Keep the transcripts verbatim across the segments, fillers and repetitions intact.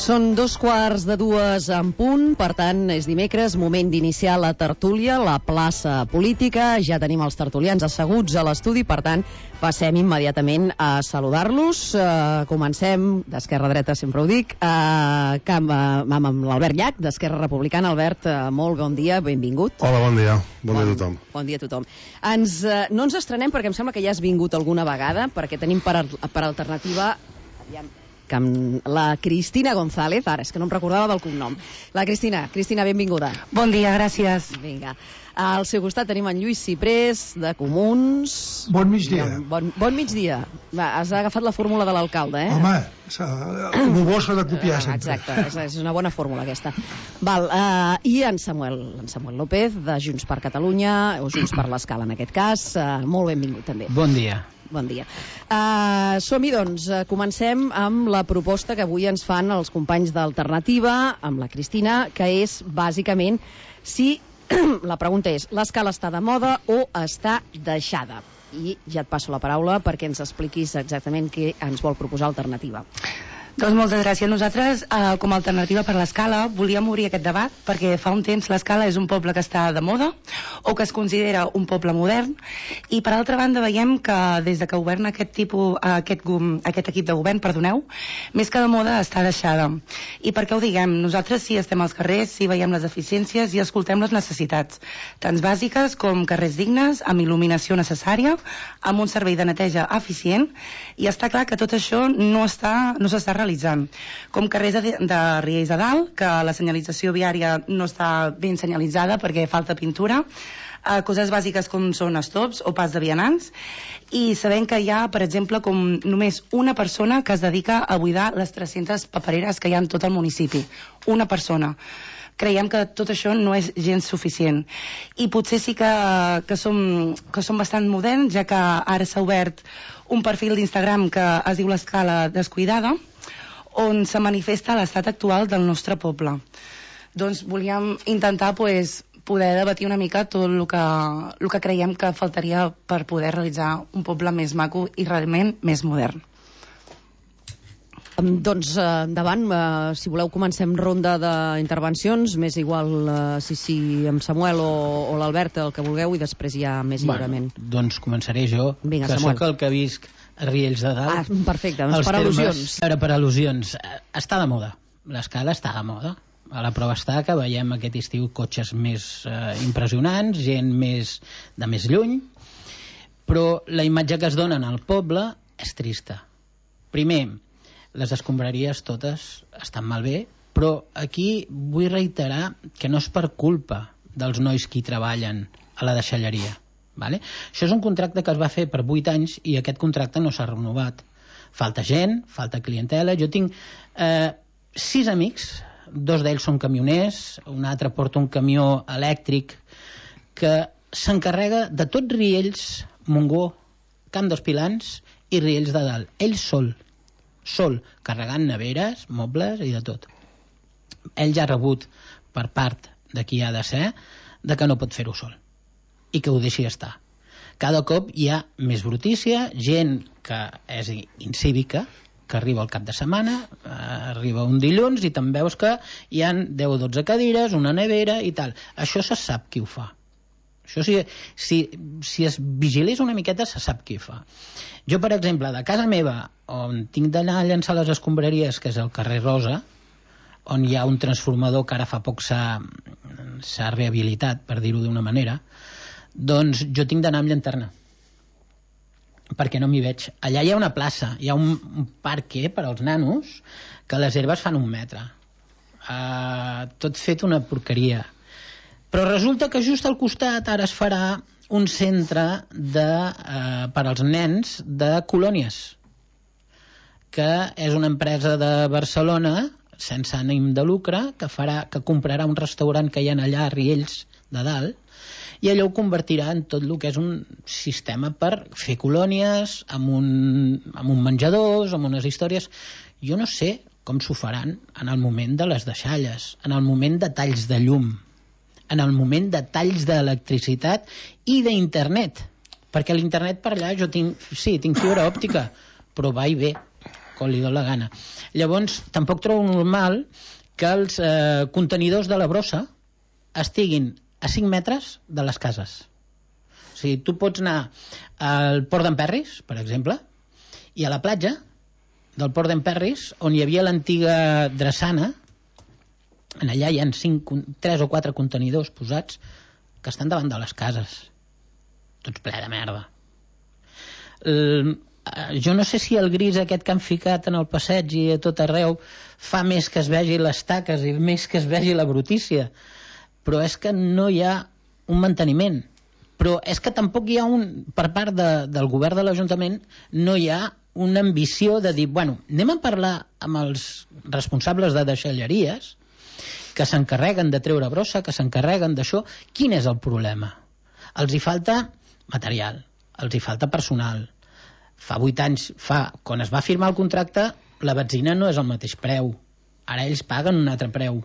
Són dos quarts de dues en punt, per tant, és dimecres, moment d'iniciar la tertúlia, la plaça política. Ja tenim els tertulians asseguts a l'estudi, per tant, passem immediatament a saludar-los. Uh, comencem d'esquerra a dreta, sempre ho dic, uh, amb, uh, amb l'Albert Llach, d'Esquerra Republicana. Albert, uh, molt bon dia, benvingut. Hola, bon dia. Bon, bon dia a tothom. Bon dia a tothom. Ens, uh, no ens estrenem perquè em sembla que ja has vingut alguna vegada, perquè tenim per, per alternativa... Aviam, que amb la Cristina González, ara és que no em recordava del cognom. La Cristina, Cristina, benvinguda. Bon dia, gràcies. Vinga. Al seu costat tenim en Lluís Ciprés, de Comuns. Bon migdia. Bon, bon migdia. Va, has agafat la fórmula de l'alcalde, eh? Home, el bo s'ha de copiar sempre. Exacte, és, és una bona fórmula aquesta. Val, uh, i en Samuel, en Samuel López, de Junts per Catalunya, o Junts per l'Escala en aquest cas. Uh, molt benvingut, també. Bon dia. Bon dia. Uh, som-hi, doncs. Uh, comencem amb la proposta que avui ens fan els companys d'Alternativa, amb la Cristina, que és, bàsicament, si... la pregunta és, l'escala està de moda o està deixada? I ja et passo la paraula perquè ens expliquis exactament què ens vol proposar Alternativa. Doncs moltes gràcies. Nosaltres, eh, com a alternativa per l'Escala, volíem obrir aquest debat perquè fa un temps l'Escala és un poble que està de moda o que es considera un poble modern, i per altra banda veiem que des de que governa aquest, tipus, aquest, aquest equip de govern, perdoneu, més que de moda està deixada. I per què ho diguem? Nosaltres sí estem als carrers, sí veiem les deficiències i escoltem les necessitats, tant bàsiques com carrers dignes, amb il·luminació necessària, amb un servei de neteja eficient, i està clar que tot això no està, no s'està realitzant. Com carrers de, de Riells de Dalt, que la senyalització viària no està ben senyalitzada perquè falta pintura, eh, coses bàsiques com són estops o pas de vianants, i sabem que hi ha, per exemple, com només una persona que es dedica a buidar les tres-centes papereres que hi ha en tot el municipi. Una persona. Creiem que tot això no és gens suficient. I potser sí que, que, som, que som bastant moderns, ja que ara s'ha obert un perfil d'Instagram que es diu l'Escala Descuidada, on se manifesta l'estat actual del nostre poble. Doncs volíem intentar pues, poder debatir una mica tot el que, el que creiem que faltaria per poder realitzar un poble més maco i realment més modern. Doncs eh, endavant, eh, si voleu comencem ronda d'intervencions, més igual eh, si, si amb Samuel o, o l'Albert, el que vulgueu, i després ja més lliurement. Bueno, doncs començaré jo, Vinga, que Samuel. sóc el que visc a Riells de Dalt. Ah, perfecte, doncs per al·lusions. Ara, per al·lusions. Està de moda. L'escala està de moda. A la prova està que veiem aquest estiu cotxes més eh, impressionants, gent més de més lluny, però la imatge que es donen al poble és trista. Primer, les escombraries totes estan malbé, però aquí vull reiterar que no és per culpa dels nois que hi treballen a la deixalleria. Vale? Això és un contracte que es va fer per vuit anys i aquest contracte no s'ha renovat. Falta gent, falta clientela. Jo tinc eh, sis amics, dos d'ells són camioners, un altre porta un camió elèctric que s'encarrega de tot Riells, Montgó, Camp dels Pilans i Riells de Dalt. Ell sol, sol, carregant neveres, mobles i de tot. Ell ja ha rebut per part de qui ha de ser de que no pot fer-ho sol i que ho deixi estar. Cada cop hi ha més brutícia, gent que és incívica, que arriba al cap de setmana, eh, arriba un dilluns i te'n veus que hi ha deu o dotze cadires, una nevera i tal. Això se sap qui ho fa. Això si, si, si es vigilés una miqueta se sap qui ho fa. Jo, per exemple, de casa meva, on tinc d'anar a llançar les escombraries, que és el carrer Rosa, on hi ha un transformador que ara fa poc s'ha s'ha rehabilitat, per dir-ho d'una manera, doncs jo tinc d'anar amb llanterna perquè no m'hi veig. Allà hi ha una plaça, hi ha un, un parque per als nanos que les herbes fan un metre, uh, tot fet una porqueria, però resulta que just al costat ara es farà un centre de, uh, per als nens de colònies, que és una empresa de Barcelona sense ànim de lucre que, farà, que comprarà un restaurant que hi ha allà a Riells de Dalt, i allò ho convertirà en tot el que és un sistema per fer colònies amb un, amb un menjadors, amb unes històries. Jo no sé com s'ho faran en el moment de les deixalles, en el moment de talls de llum, en el moment de talls d'electricitat i d'internet, perquè l'internet per allà jo tinc, sí, tinc fibra òptica, però va i ve. quan li dona la gana. Llavors, tampoc trobo normal que els eh, contenidors de la brossa estiguin a cinc metres de les cases. O sigui, tu pots anar al Port d'en Perris, per exemple, i a la platja del Port d'en Perris, on hi havia l'antiga drassana, en allà hi ha cinc, tres o quatre contenidors posats que estan davant de les cases. Tots ple de merda. El, jo no sé si el gris aquest que han ficat en el passeig i a tot arreu fa més que es vegi les taques i més que es vegi la brutícia, però és que no hi ha un manteniment. Però és que tampoc hi ha un, per part de, del govern de l'Ajuntament, no hi ha una ambició de dir, bueno, anem a parlar amb els responsables de deixalleries que s'encarreguen de treure brossa, que s'encarreguen d'això. Quin és el problema? Els hi falta material, els hi falta personal. Fa vuit anys, fa, quan es va firmar el contracte, la benzina no és el mateix preu. Ara ells paguen un altre preu.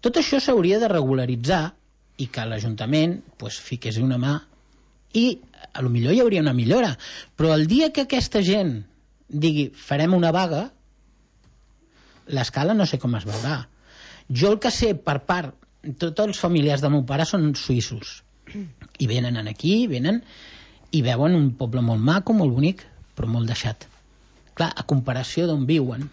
Tot això s'hauria de regularitzar i que l'Ajuntament pues, fiqués una mà i a lo millor hi hauria una millora. Però el dia que aquesta gent digui farem una vaga, l'escala no sé com es veurà. Jo el que sé per part, tots els familiars del meu pare són suïssos i venen aquí, venen i veuen un poble molt maco, molt bonic, però molt deixat. Clar, a comparació d'on viuen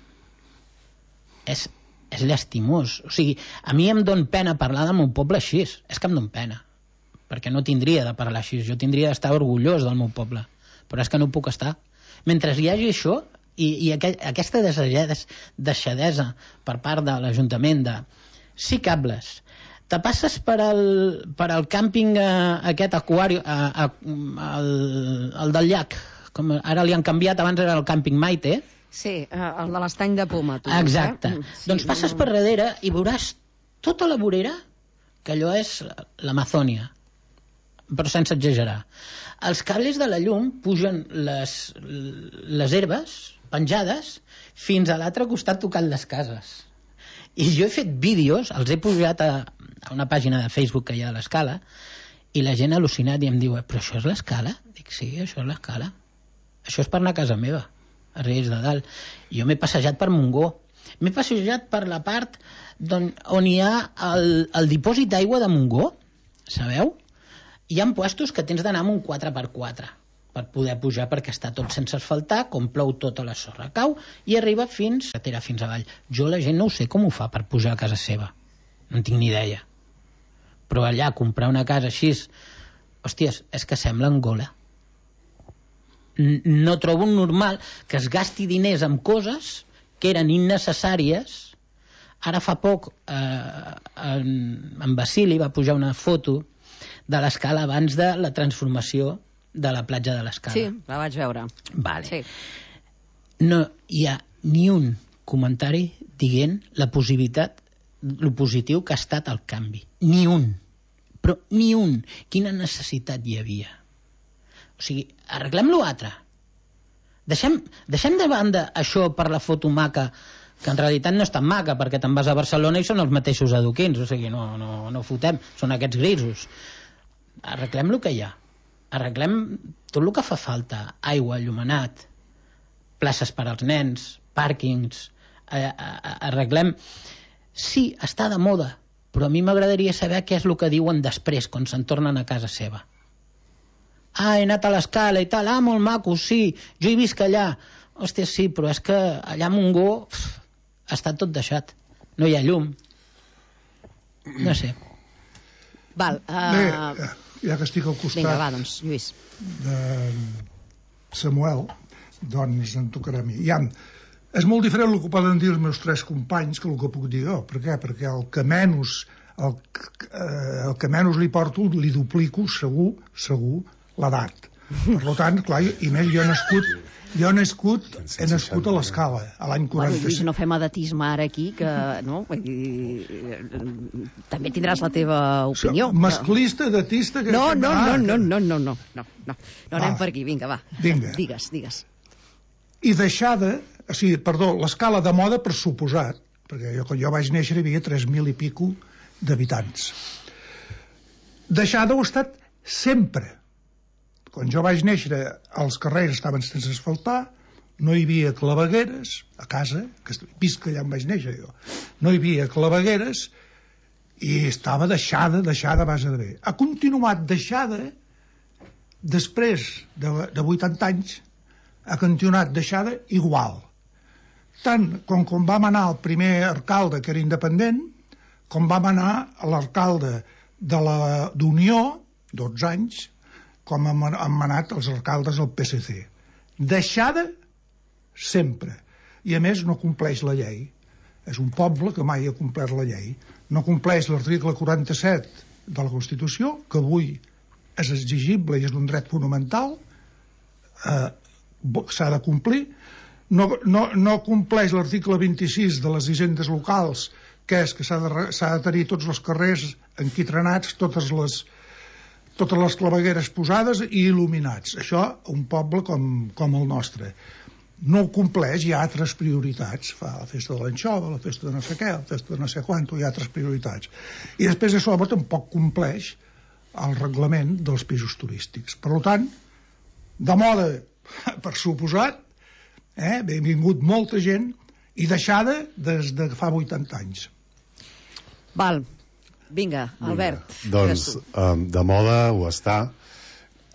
és, és llastimós. O sigui, a mi em don pena parlar del meu poble així, és que em don pena, perquè no tindria de parlar així, jo tindria d'estar orgullós del meu poble, però és que no puc estar. Mentre hi hagi això, i, i aqu aquesta deixadesa per part de l'Ajuntament de sí cables, te passes per al, per al càmping eh, aquest aquari, eh, eh, el, el del llac, com ara li han canviat, abans era el càmping Maite. Sí, eh, el de l'estany de Poma. Tu, exacte. Eh? Sí, doncs passes no, no. per darrere i veuràs tota la vorera, que allò és l'Amazònia, però sense exagerar. Els cables de la llum pugen les, les herbes penjades fins a l'altre costat tocant les cases. I jo he fet vídeos, els he pujat a, a una pàgina de Facebook que hi ha a l'Escala, i la gent ha al·lucinat i em diu, però això és l'Escala? Dic, sí, això és l'Escala. Això és per anar a casa meva, a Riells de Dalt. Jo m'he passejat per Montgó, m'he passejat per la part on, on hi ha el, el dipòsit d'aigua de Montgó, sabeu? Hi ha puestos que tens d'anar amb un quatre per quatre per poder pujar, perquè està tot sense asfaltar, com plou tota la sorra cau i arriba fins a fins avall. Jo la gent no ho sé com ho fa per pujar a casa seva, no en tinc ni idea, però allà comprar una casa així, hòsties, és que sembla Angola. No trobo normal que es gasti diners en coses que eren innecessàries. Ara fa poc eh, en, en Basili va pujar una foto de l'Escala abans de la transformació de la platja de l'Escala. Sí, la vaig veure. Vale. Sí. No hi ha ni un comentari dient la possibilitat, lo positiu que ha estat el canvi. Ni un. Però ni un. Quina necessitat hi havia? O sigui, arreglem l'altre. Deixem, deixem de banda això per la foto maca, que en realitat no és tan maca, perquè te'n vas a Barcelona i són els mateixos adoquins, o sigui, no, no, no fotem, són aquests grisos. Arreglem el que hi ha. Arreglem tot el que fa falta. Aigua, allumenat, places per als nens, pàrquings, arreglem... Sí, està de moda, però a mi m'agradaria saber què és el que diuen després, quan se'n tornen a casa seva. Ah, he anat a l'Escala i tal, ah, molt maco, sí, jo hi visc allà. Hòstia, sí, però és que allà a Montgó pf, està tot deixat, no hi ha llum. No sé. Val, uh... Bé, ja que estic al costat Vinga, va, doncs, Lluís. de Samuel, doncs em tocarà a mi. Ja, és molt diferent el que poden dir els meus tres companys que el que puc dir jo. Per què? Perquè el que menys, el, el que menys li porto li duplico segur, segur, l'edat. Per tant, clar, i més jo he nascut jo he nascut, he nascut a l'Escala a l'any quaranta-cinc. Bueno, no fem edatisme ara aquí, que no? I, també tindràs la teva opinió. Masclista, edatista... Que no, que no, ah, no, no, no, no, no, no, no, no anem per aquí, vinga, va. Vinga. Digues, digues. I deixada, o sigui, perdó, l'Escala de moda per suposat, perquè jo, quan jo vaig néixer hi havia tres mil i pico d'habitants. Deixada ho ha estat sempre. Quan jo vaig néixer, els carrers estaven sense asfaltar, no hi havia clavegueres a casa, que visc allà on vaig néixer jo, no hi havia clavegueres i estava deixada, deixada a base de bé. Ha continuat deixada després de, de vuitanta anys, ha continuat deixada igual. Tant com quan vam anar al primer alcalde, que era independent, com vam anar a l'alcalde de la d'Unió, dotze anys, com han, han anat els alcaldes del P S C. Deixada sempre. I a més no compleix la llei. És un poble que mai ha complert la llei. No compleix l'article quaranta-set de la Constitució, que avui és exigible i és un dret fonamental, eh, s'ha de complir. No, no, no compleix l'article vint-i-sis de les hisendes locals, que és que s'ha de, s'ha de tenir tots els carrers enquitrenats, totes les, totes les clavegueres posades i il·luminats. Això, un poble com, com el nostre. No ho compleix, hi ha altres prioritats. Fa la festa de l'anxova, la festa de no sé què, la festa de no sé quanto, hi ha altres prioritats. I després a sobre tampoc compleix el reglament dels pisos turístics. Per tant, de moda, per suposat, eh, benvingut molta gent i deixada des de fa vuitanta anys. Val, vinga, Albert. Vinga. Doncs um, de moda ho està,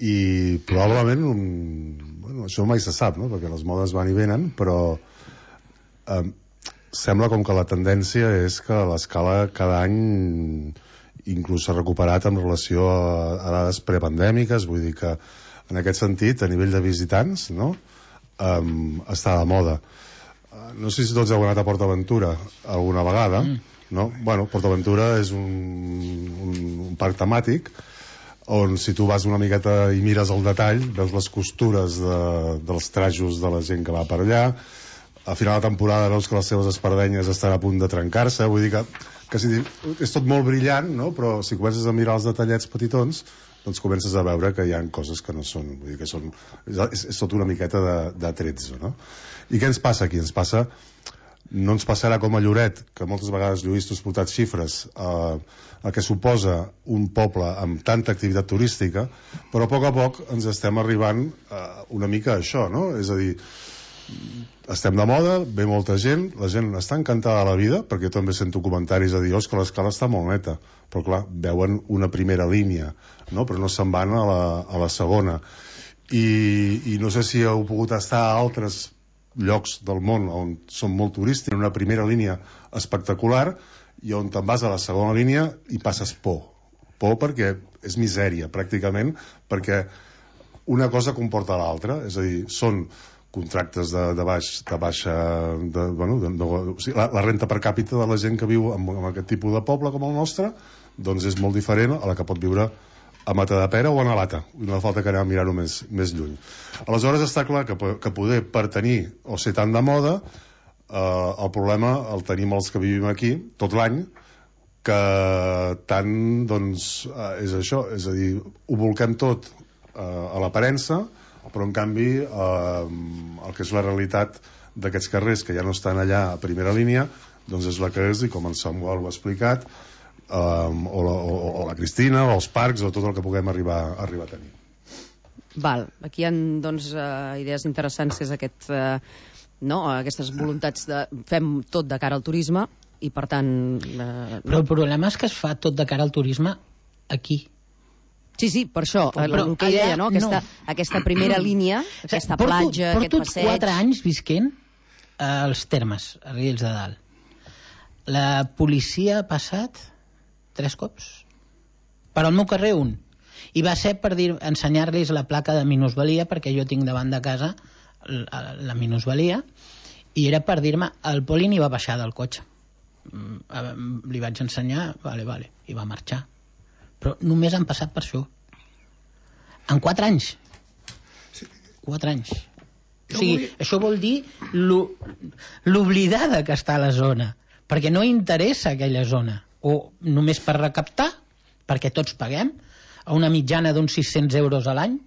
i probablement un, bueno, això mai se sap, no? Perquè les modes van i venen, però eh, sembla com que la tendència és que l'escala cada any inclús s'ha recuperat en relació a, a dades prepandèmiques. Vull dir que en aquest sentit, a nivell de visitants, no? eh, està de moda. No sé si tots heu anat a PortAventura alguna vegada, mm. no? Bueno, PortAventura és un, un, un parc temàtic on si tu vas una miqueta i mires el detall, veus les costures de, dels trajos de la gent que va per allà. A final de temporada veus que les seves espardenyes estan a punt de trencar-se. Vull dir que, que si, és tot molt brillant, no? Però si comences a mirar els detallets petitons, doncs comences a veure que hi ha coses que no són, vull dir que són, és, és tot una miqueta de, de tretze, no? I què ens passa aquí? Ens passa, no ens passarà com a Lloret, que moltes vegades Lluís, tu has portat xifres, eh, el que suposa un poble amb tanta activitat turística, però a poc a poc ens estem arribant eh, una mica a això, no? És a dir, estem de moda, ve molta gent, la gent està encantada de la vida, perquè jo també sento comentaris a dir, oh, que l'escala està molt neta, però clar, veuen una primera línia, no? Però no se'n van a la, a la segona. I, i no sé si heu pogut estar a altres llocs del món on són molt turístics, en una primera línia espectacular, i on te'n vas a la segona línia i passes por. Por perquè és misèria, pràcticament, perquè una cosa comporta l'altra, és a dir, són contractes de, de, baix, de baixa... De, bueno, de, de, o sigui, la, la renta per càpita de la gent que viu en, en aquest tipus de poble com el nostre, doncs és molt diferent a la que pot viure a Matadepera o a Navata. No fa falta que anem a mirar-ho més, més lluny. Aleshores està clar que, que poder per tenir o ser tan de moda, Uh, el problema el tenim els que vivim aquí tot l'any, que tant doncs uh, és això, és a dir, ho volquem tot uh, a l'aparença, però en canvi uh, el que és la realitat d'aquests carrers que ja no estan allà a primera línia, doncs és la que és, i com en Samuel ho ha explicat, um, o, la, o, o la Cristina, o els parcs, o tot el que puguem arribar, arribar a tenir. Val, aquí hi ha doncs, uh, idees interessants, és aquest... Uh, no? Aquestes voluntats de fem tot de cara al turisme i per tant... Eh, però el problema és que es fa tot de cara al turisme aquí. Sí, sí, per això, però el que allà, deia, no? Aquesta, no. aquesta primera línia, aquesta porto, platja, porto aquest passeig... Porto quatre anys visquent als Termes, a Riells de Dalt. La policia ha passat tres cops. Per al meu carrer, un. I va ser per dir, ensenyar-los la placa de minusvalia, perquè jo tinc davant de casa la, la minusvalia, i era per dir-me, el poli ni va baixar del cotxe. Li vaig ensenyar, vale, vale, i va marxar. Però només han passat per això. En quatre anys. Quatre anys. O sigui, això vol dir l'oblidada que està a la zona, perquè no interessa aquella zona, o només per recaptar, perquè tots paguem, a una mitjana d'uns sis-cents euros a l'any,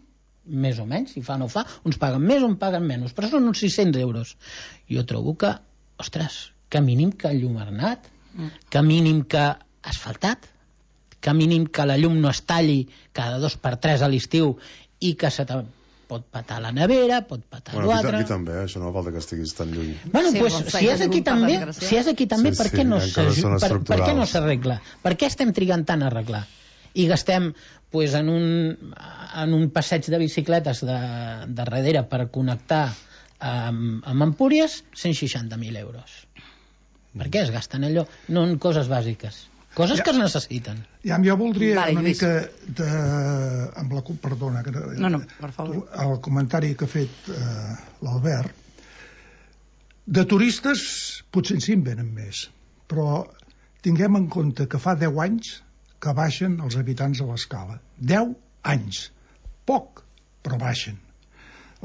més o menys, si fa o no fa, uns paguen més o en paguen menys, però són uns sis-cents euros. Jo trobo que, ostres, que mínim que enllumenat, que mínim que asfaltat, que mínim que la llum no es talli cada dos per tres a l'estiu i que se pot patar la nevera, pot patar bueno, l'altre... Aquí, aquí també, eh? Això no fa falta que estiguis tan lluny. Bueno, Sí, pues, bon, si és aquí també, si és aquí també, Sí, per sí, què no encara s'aju- són per, per què no estructurals. s'arregla? Per què estem trigant tant a arreglar? I gastem pues, en, un, en un passeig de bicicletes de, de darrere per connectar amb, amb Empúries cent seixanta mil euros. Per què es gasten allò? No en coses bàsiques. Coses Ja. que es necessiten. Ja, jo voldria Vale, una Lluís. mica de... amb la... perdona, que No, no, per favor. el comentari que ha fet eh, l'Albert. De turistes potser sí en venen més, però tinguem en compte que fa deu anys que baixen els habitants a l'Escala. deu anys. Poc, però baixen.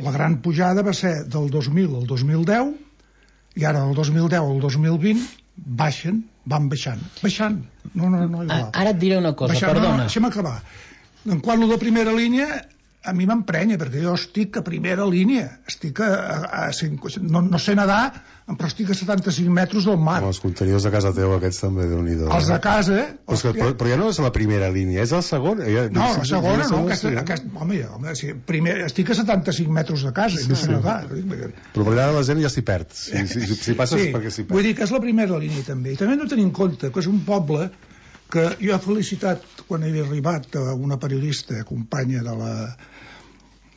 La gran pujada va ser del dos mil al dos mil deu i ara del dos mil deu al dos mil vint baixen, van baixant. Baixant. No, no, no, igual. Ara et diré una cosa, Baixant, perdona. No, deixa'm acabar. En quant a la primera línia, a mi m'emprenya, perquè jo estic a primera línia. Estic a... a, a cinc, no, no sé nedar, però estic a setanta-cinc metres del mar. Amb els contenidors de casa teu, aquests també, Déu-n'hi-do. Els de casa... Però, és que, però, però ja no és la primera línia, és la segona. Ja, No, la segona, no. Aquesta, Aquesta, aquesta, home, ja, home sí, primer, estic a setanta-cinc metres de casa i no sé nedar. Però per allà la gent ja s'hi perd. Si, si, si, si passes Sí, perquè s'hi vull perd. dir que és la primera línia també. I també hem de tenir en compte que és un poble que jo he felicitat quan he arribat a una periodista, companya de la,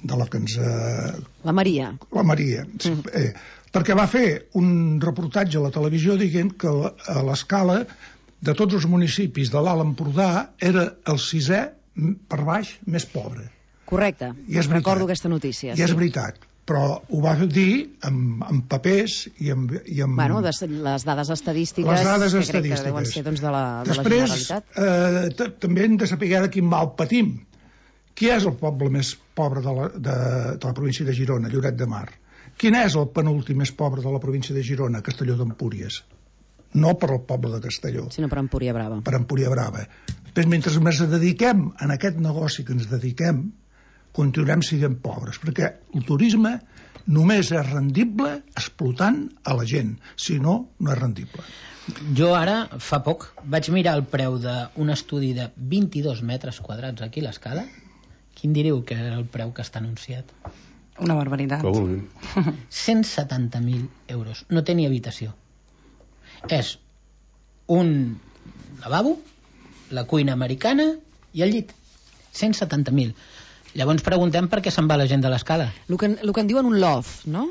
de la que ens... Eh, La Maria. la Maria, sí, Mm. eh, perquè va fer un reportatge a la televisió dient que la- a l'Escala de tots els municipis de l'Alt Empordà era el sisè m- per baix més pobre. Correcte. I és veritat. Recordo aquesta notícia. I és veritat, però ho va dir amb, amb papers i amb... I amb Bueno, des, les dades estadístiques les dades que crec que estadístiques. deuen ser doncs, de, la, de la Després, Generalitat. eh, t- també hem de saber de quin mal patim. Qui és el poble més pobre de la, de, de la província de Girona? Lloret de Mar. Quin és el penúltim més pobre de la província de Girona? Castelló d'Empúries. No per al poble de Castelló, Sinó per Empúria Brava. per Empúria Brava. Però mentre ens dediquem en aquest negoci que ens dediquem, continuarem sent pobres, perquè el turisme només és rendible explotant a la gent, si no, no és rendible. Jo ara, fa poc, vaig mirar el preu d'un estudi de vint-i-dos metres quadrats aquí a l'Escala. Quin diríeu que era el preu que està anunciat? Una barbaritat. Que vulguin. cent setanta mil euros. No té ni habitació. És un lavabo, la cuina americana i el llit. cent setanta mil. Llavors preguntem per què se'n va la gent de l'Escala. El que, el que en diuen un loft, no?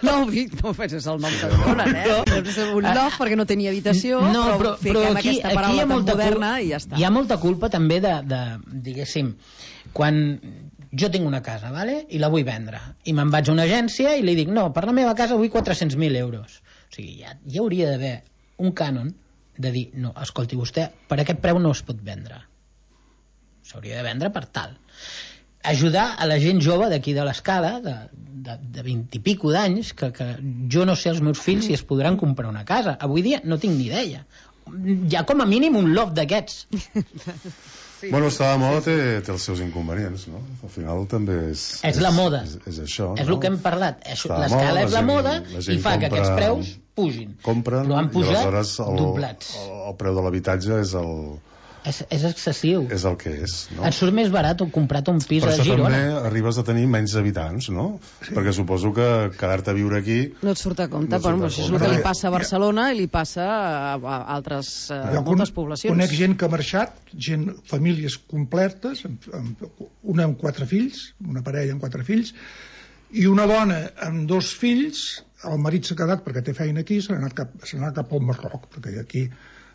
No, Vic, no, és el nom que donen, eh? És un loft perquè no tenia habitació, No, però, però fiquem aquí, aquesta aquí hi paraula ha tan molta moderna culpa, i ja està. hi ha molta culpa també de, de diguéssim, quan jo tinc una casa, vale? I la vull vendre, i me'n vaig a una agència i li dic, no, per la meva casa vull quatre-cents mil euros. O sigui, ja, ja hauria d'haver un cànon de dir, no, escolti, vostè, per aquest preu no es pot vendre. S'hauria de vendre per tal. Ajudar a la gent jove d'aquí de l'Escala, de, de, de vint i pico d'anys, que, que jo no sé els meus fills si es podran comprar una casa. Avui dia no tinc ni idea. Hi ha com a mínim un loft d'aquests. Sí. Bueno, estar de moda té, té els seus inconvenients, no? Al final també és... És la moda. És, és això, És no? el que hem parlat. És- Està de L'escala moda, és la gent- moda la i gent fa que compra- aquests preus pugin. Compren Però han i pujat aleshores el, doblats. el, el preu de l'habitatge és el, És, és excessiu. és el que és, no? Et surt més barat comprar-te un pis Per a això Girona. també arribes a tenir menys habitants, no? Sí. Perquè suposo que quedar-te a viure aquí... No et surt a compte, No et surt però a això és compte. el que li passa a Barcelona i li passa a, a altres a Jo moltes con- poblacions. Conec gent que ha marxat, gent, famílies completes, amb, amb, una amb quatre fills, una parella amb quatre fills, i una dona amb dos fills, el marit s'ha quedat perquè té feina aquí, s'ha anat cap, s'ha anat cap al Marroc, perquè aquí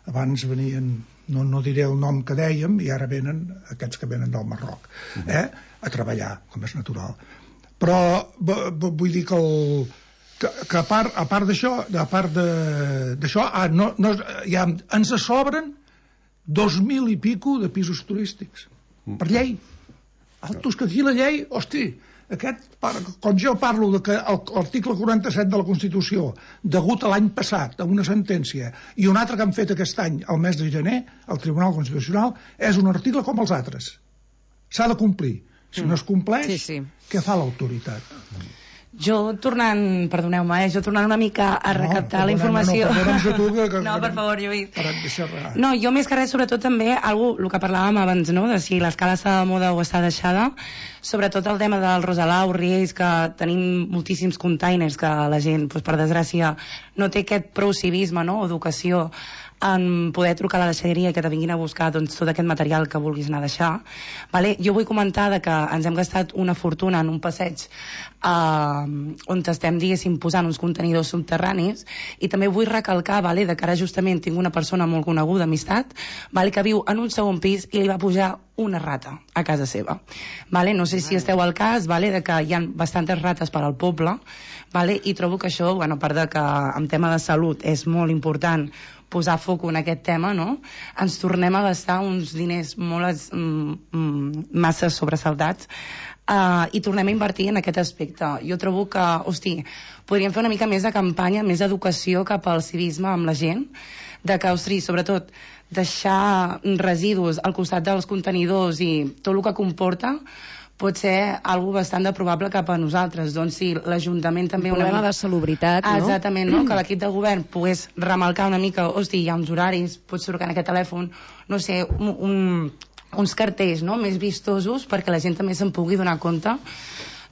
abans venien, no, no diré el nom que dèiem, i ara venen aquests que venen del Marroc, eh? a treballar, com és natural. Però v- v- vull dir que el, que, que a part, a part d'això, a part de- d'això, ah, no, no, ja ens sobren dos mil i pico de pisos turístics, per llei. Altos, que aquí la llei, hosti, aquest, par- quan jo parlo de que el- l'article quaranta-set de la Constitució, degut a l'any passat, a una sentència, i un altre que han fet aquest any, al mes de gener, al Tribunal Constitucional, és un article com els altres. S'ha de complir. Si no es compleix, Sí, sí. què fa l'autoritat? Jo tornant, perdoneu-me, eh, jo tornant una mica a recaptar no, la informació... No, perdona'ns a tu, que, que, no, per favor, Lluís. Parat de xerrar. No, jo més que res, sobretot també, algú, el que parlàvem abans, no?, de si l'escala està de moda o està deixada, sobretot el tema del Rosalau, Riells, que tenim moltíssims containers que la gent, doncs, per desgràcia, no té aquest prou civisme, no?, o educació en poder trucar a la deixalleria i que te vinguin a buscar doncs, tot aquest material que vulguis anar a deixar. Vale? Jo vull comentar de que ens hem gastat una fortuna en un passeig eh, on estem, diguéssim, posant uns contenidors subterranis, i també vull recalcar, vale, de que ara justament tinc una persona molt coneguda, amistat, vale, que viu en un segon pis i li va pujar una rata a casa seva. Vale? No sé si esteu al cas, vale, de que hi ha bastantes rates per al poble, vale? I trobo que això, bueno, a part de que en tema de salut és molt important posar foc en aquest tema, no? Ens tornem a gastar uns diners molt mm, massa sobresaltats uh, i tornem a invertir en aquest aspecte. Jo trobo que, hosti, podríem fer una mica més de campanya, més d'educació cap al civisme amb la gent, de que, hosti, sobretot, deixar residus al costat dels contenidors i tot el que comporta pot ser algo bastant de probable cap a nosaltres. Doncs sí, l'Ajuntament també... Un problema una... de salubritat, no? Exactament, no? Que l'equip de govern pogués remarcar una mica, hosti, hi ha uns horaris, pots trucar en aquest telèfon, no sé, un, un, uns cartells, no?, més vistosos perquè la gent també se'n pugui donar compte.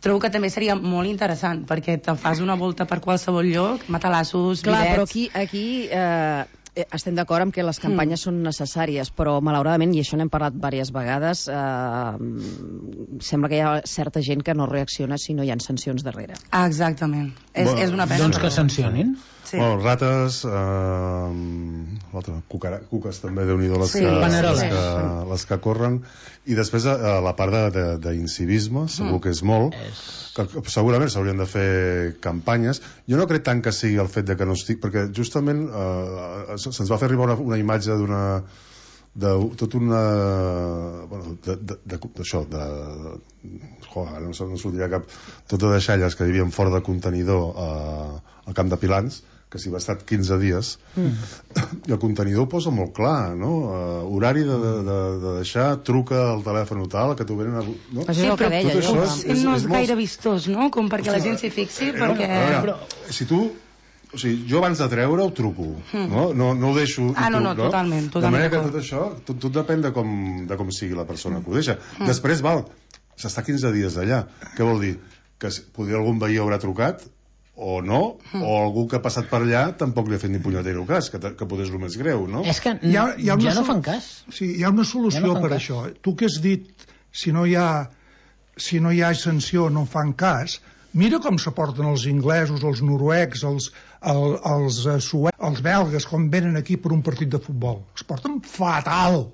Trobo que també seria molt interessant, perquè te fas una volta per qualsevol lloc, matalassos, Clar, bidets... però aquí, aquí eh, estem d'acord amb que les campanyes mm. són necessàries, però malauradament, i això n'hem parlat diverses vegades, eh, sembla que hi ha certa gent que no reacciona si no hi ha sancions darrere. Ah, exactament. És, bueno, és una pena. Doncs que sancionin. Sí. Bueno, rates, eh, l'altre, cucara, cuques també, Déu-n'hi-do les, sí, que, les, sí. que, les que corren, i després eh, la part d'incivisme, segur mm. que és molt, és... que segurament s'haurien de fer campanyes. Jo no crec tant que sigui el fet de que no estic, perquè justament eh, se'ns va fer arribar una, una imatge d'una de tot una bueno, d'això de, de, de, joder, no, no sortiria cap tot de deixalles que vivien fora de contenidor eh, al camp de Pilans, que s'hi va estar quinze dies, mm. i el contenidor ho posa molt clar, no? Uh, horari de, de, de, de deixar, truca al telèfon tal, que t'ho venen a... No? Sí, però tot això és, és, no és, és gaire molt... vistós, no? Com perquè la gent s'hi fixi, no, perquè... No, però, si tu... O sigui, jo abans de treure ho truco, mm. no? No, no ho deixo... Ah, no, no, no, totalment, totalment. De manera que tot això, tot, tot depèn de com, de com sigui la persona que ho deixa. Mm. Després, val, s'està quinze dies allà. Què vol dir? Que podria algun veí haurà trucat, o no, mm. o algú que ha passat per allà tampoc li ha fet ni punyetero cas, que, que potser és el més greu, no? És que hi ha, hi ha ja no fan cas. Sí, hi ha una solució ja no per cas. Això. Tu que has dit, si no hi ha, si no hi ha sanció, no fan cas, mira com se porten els inglesos, els noruecs, els, el, els suecs, els belgues, com venen aquí per un partit de futbol. Es porten fatal.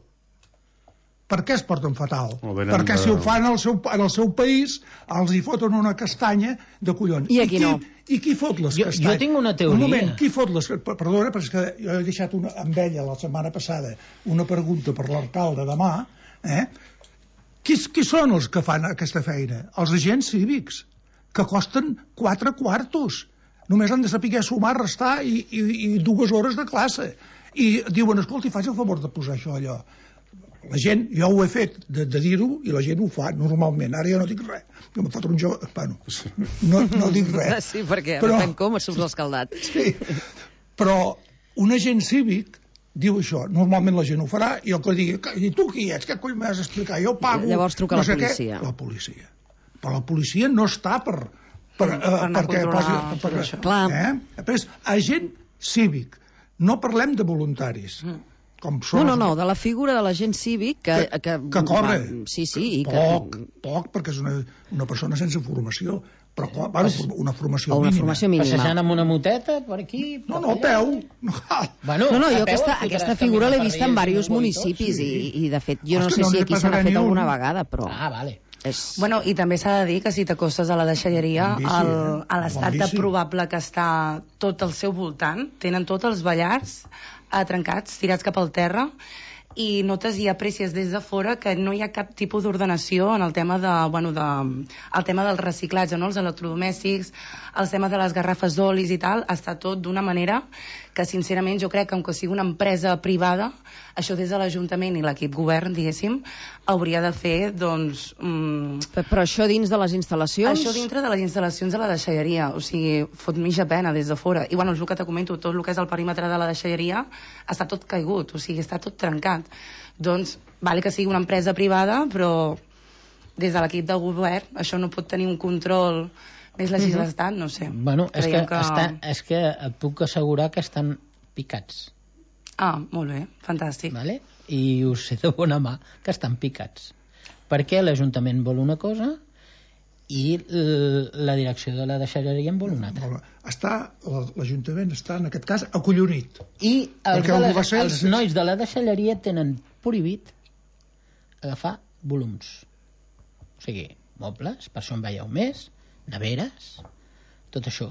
Per què es porten fatal? Perquè de... si ho fan al seu, en el seu país, els hi foten una castanya de collons. I aquí I qui, no. I qui fot les jo, castanyes? Jo tinc una teoria. Un moment, qui fot les... Perdona, però és que jo he deixat una, amb ella la setmana passada una pregunta per l'alcalde demà, eh? Qui, qui són els que fan aquesta feina? Els agents cívics, que costen quatre quartos. Només han de saber sumar, restar i, i, i dues hores de classe. I diuen, escolta, faig el favor de posar això allò. La gent, jo ho he fet de, de dir-ho i la gent ho fa normalment. Ara jo no dic res. Jo em foto un jove... Bueno, no, no dic res. Sí, perquè però, depèn com surts l'escaldat. Sí, però un agent cívic diu això. Normalment la gent ho farà i el que digui, i tu qui ets? Què coll m'has d'explicar? Jo pago... Llavors truca no la policia. Què? La policia. Però la policia no està per... per, per, uh, per perquè posi... Per, per, Clar. Eh? Després, agent cívic. No parlem de voluntaris. Mm. Com no, no, no, de la figura de l'agent cívic que, que, que, que corre va, sí, sí, i poc, que... poc perquè és una, una persona sense formació però bueno, una formació o una mínima, formació mínima. Passejant amb una moteta per aquí no, no, a peu no, bueno, no, no jo peu, aquesta, aquesta figura l'he vista en diversos municipis sí. i, i de fet jo no sé no si aquí se n'ha fet alguna vegada però... ah, vale. És... Bueno, i també s'ha de dir que si t'acostes a la deixalleria bici, el, eh? a l'estat de probable que està tot al seu voltant, tenen tots els ballars trencats, tirats cap al terra i notes i aprecies des de fora que no hi ha cap tipus d'ordenació en el tema de, bueno, de, el tema del reciclatge, no? Els electrodomèstics, el tema de les garrafes d'olis i tal, està tot d'una manera que sincerament jo crec que, com que sigui una empresa privada, això des de l'Ajuntament i l'equip govern, diguéssim, hauria de fer, doncs... Mm, Però això dins de les instal·lacions? Això dintre de les instal·lacions de la deixalleria, o sigui, fot mitja pena des de fora. I bueno, és el que te comento, tot el que és el perímetre de la deixalleria està tot caigut, o sigui, està tot trencat. Doncs, vale que sigui una empresa privada, però des de l'equip de govern això no pot tenir un control més legislat, no sé. Bueno, és que, que... Està, és que et puc assegurar que estan picats. Ah, molt bé, fantàstic. Vale? I us sé de bona mà que estan picats. Perquè l'Ajuntament vol una cosa i la direcció de la deixalleria en vol una altra. Està, l'Ajuntament està, en aquest cas, acollonit. I els, de les, els nois de la deixalleria tenen prohibit agafar volums. O sigui, mobles, per això en veieu més, neveres, tot això.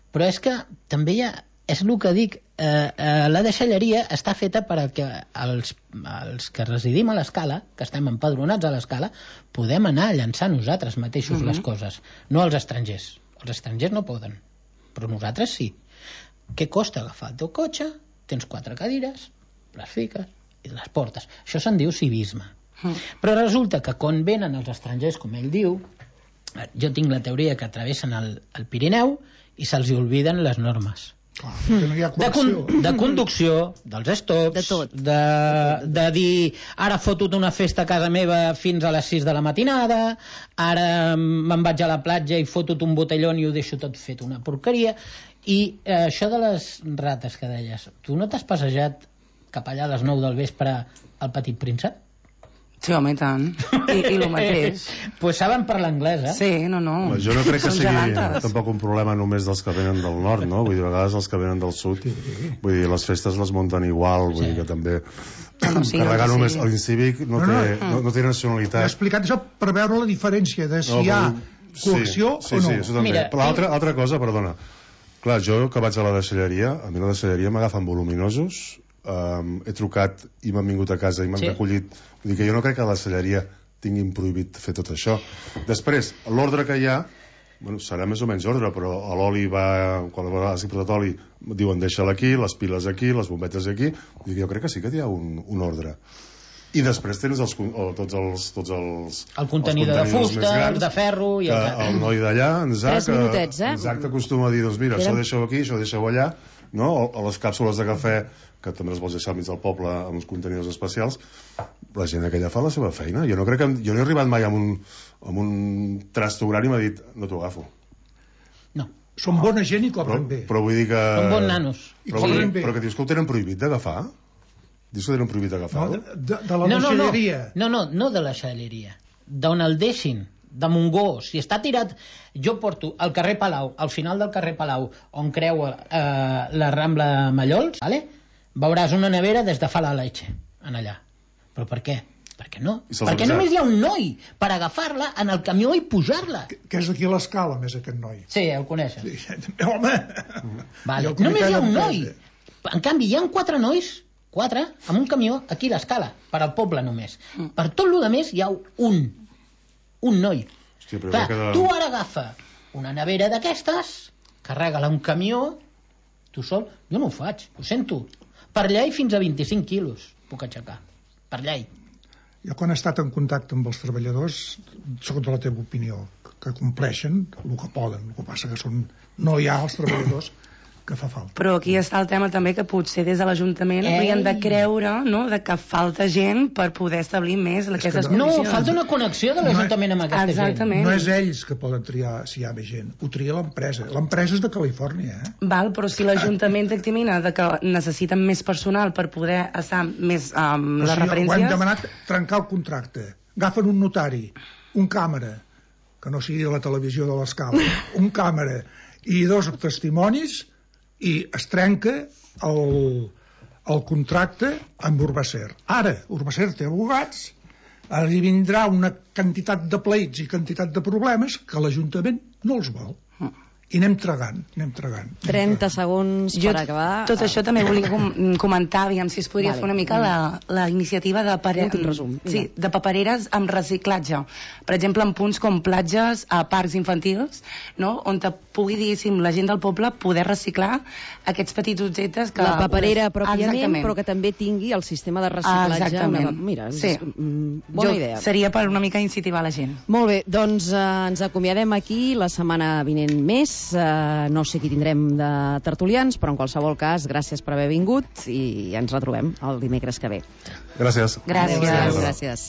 Però és que també hi ha... És el que dic, eh, eh, la deixalleria està feta per a que els, els que residim a l'escala, que estem empadronats a l'escala, podem anar a llançar nosaltres mateixos uh-huh. les coses, no els estrangers. Els estrangers no poden, però nosaltres sí. Què costa agafar el teu cotxe? Tens quatre cadires, les fiques i les portes. Això se'n diu civisme. Uh-huh. Però resulta que quan venen els estrangers, com ell diu, jo tinc la teoria que travessen el, el Pirineu i se'ls olviden les normes. Clar, no hi ha de, con de conducció, dels stops, de, tot. de, de dir ara foto una festa a casa meva fins a les sis de la matinada, ara me'n vaig a la platja i foto un botellón i ho deixo tot fet una porqueria. I eh, això de les rates que deies, tu no t'has passejat cap allà a les nou del vespre al Petit Príncep? Sí, home, i tant. I, i el mateix. Pues saben parlar anglès, eh? Sí, no, no. Home, jo no crec que sigui gelantes. Tampoc un problema només dels que venen del nord, no? Vull dir, a vegades els que venen del sud, vull dir, les festes les munten igual, vull sí. dir que també... No, no, sí, carregar no, només sí. l'incívic no, no, té, no, no té nacionalitat. He explicat això per veure la diferència de si no, hi ha coacció sí, sí, o no. Sí, això també. Mira, però altra, altra cosa, perdona. Clar, jo que vaig a la deixalleria, a mi la deixalleria m'agafen voluminosos, Um, he trucat i m'han vingut a casa i m'han sí. recollit. Vull dir que jo no crec que a la celleria tinguin prohibit fer tot això. Després, l'ordre que hi ha, bueno, serà més o menys ordre, però a l'oli va, quan has portat oli, diuen deixa-la aquí, les piles aquí, les bombetes aquí. Vull dir que jo crec que sí que hi ha un, un ordre. I després tens els, tots els... Tots els el contenidor els de fusta, grans, el de ferro... I el, que el noi d'allà, en Zac, minutets, eh? en Zac t'acostuma a dir, doncs mira, Era... això deixeu aquí, això deixeu allà, no? O, o les càpsules de cafè, que també les vols deixar al mig del poble amb uns contenidors especials, la gent aquella fa la seva feina. Jo no crec que... Jo no he arribat mai amb un, amb un trasto gran i m'ha dit, no t'ho agafo. No. Són bona gent i cobren bé. Però vull dir que... Són bons nanos. Però, sí. però que dius que ho tenen prohibit d'agafar? Dius que tenen prohibit d'agafar? No, de, de, de la no, deixalleria. No, no, no, no de la deixalleria. D'on el deixin, de Montgó. Si està tirat... Jo porto al carrer Palau, al final del carrer Palau, on creua eh, la Rambla Mallols, vale? Veuràs una nevera des de fa la leche, en allà. Però per què? Perquè no. Perquè només hi ha un noi per agafar-la en el camió i pujar-la. Que, que és aquí a l'escala, més, aquest noi. Sí, el coneixes. Sí, home! Vale. Només hi ha un noi. En canvi, hi ha quatre nois, quatre, amb un camió aquí a l'escala, per al poble només. Per tot el més hi ha un. Un noi. Hòstia, però clar, queda... tu ara agafa una nevera d'aquestes, carrega-la a un camió, tu sol, jo no ho faig, ho sento. Per llei fins a vint-i-cinc quilos puc aixecar, per llei. Jo quan he estat en contacte amb els treballadors, segons la teva opinió, que compleixen el que poden, el que passa que són, no hi ha els treballadors que fa falta. Però aquí està el tema també que potser des de l'Ajuntament haurien de creure, no?, de que falta gent per poder establir més aquestes no, condicions. No, falta una connexió de l'Ajuntament no amb aquesta exactament. gent. No és ells que poden triar si hi ha més gent, ho tria l'empresa. L'empresa és de Califòrnia, eh? Val, però si l'Ajuntament dictamina de que necessiten més personal per poder estar més amb um, les si referències... Ho hem demanat trencar el contracte. Agafen un notari, un càmera, que no sigui la televisió de l'escala, un càmera i dos testimonis i es trenca el, el contracte amb Urbacer. Ara, Urbacer té abogats, ara hi vindrà una quantitat de pleits i quantitat de problemes que l'Ajuntament no els vol. i anem tragant, anem tragant. trenta segons Jo per acabar. tot això també volia com comentar, aviam si es podria Vale. fer una mica la, la iniciativa de, pare... Últim resum, sí, vinga. de papereres amb reciclatge. Per exemple, en punts com platges, a parcs infantils, no? On te pugui, diguéssim, la gent del poble poder reciclar aquests petits objectes que... La paperera pues, pròpiament, exactament. però que també tingui el sistema de reciclatge. Exactament. Una... Mira, Sí. és, mm, bona Jo, idea. seria per una mica incentivar la gent. Molt bé, doncs eh, ens acomiadem aquí la setmana vinent més. Eh, no sé qui tindrem de tertulians, però en qualsevol cas, gràcies per haver vingut i ens retrobem el dimecres que ve. Gràcies. Gràcies. Adéu, gràcies.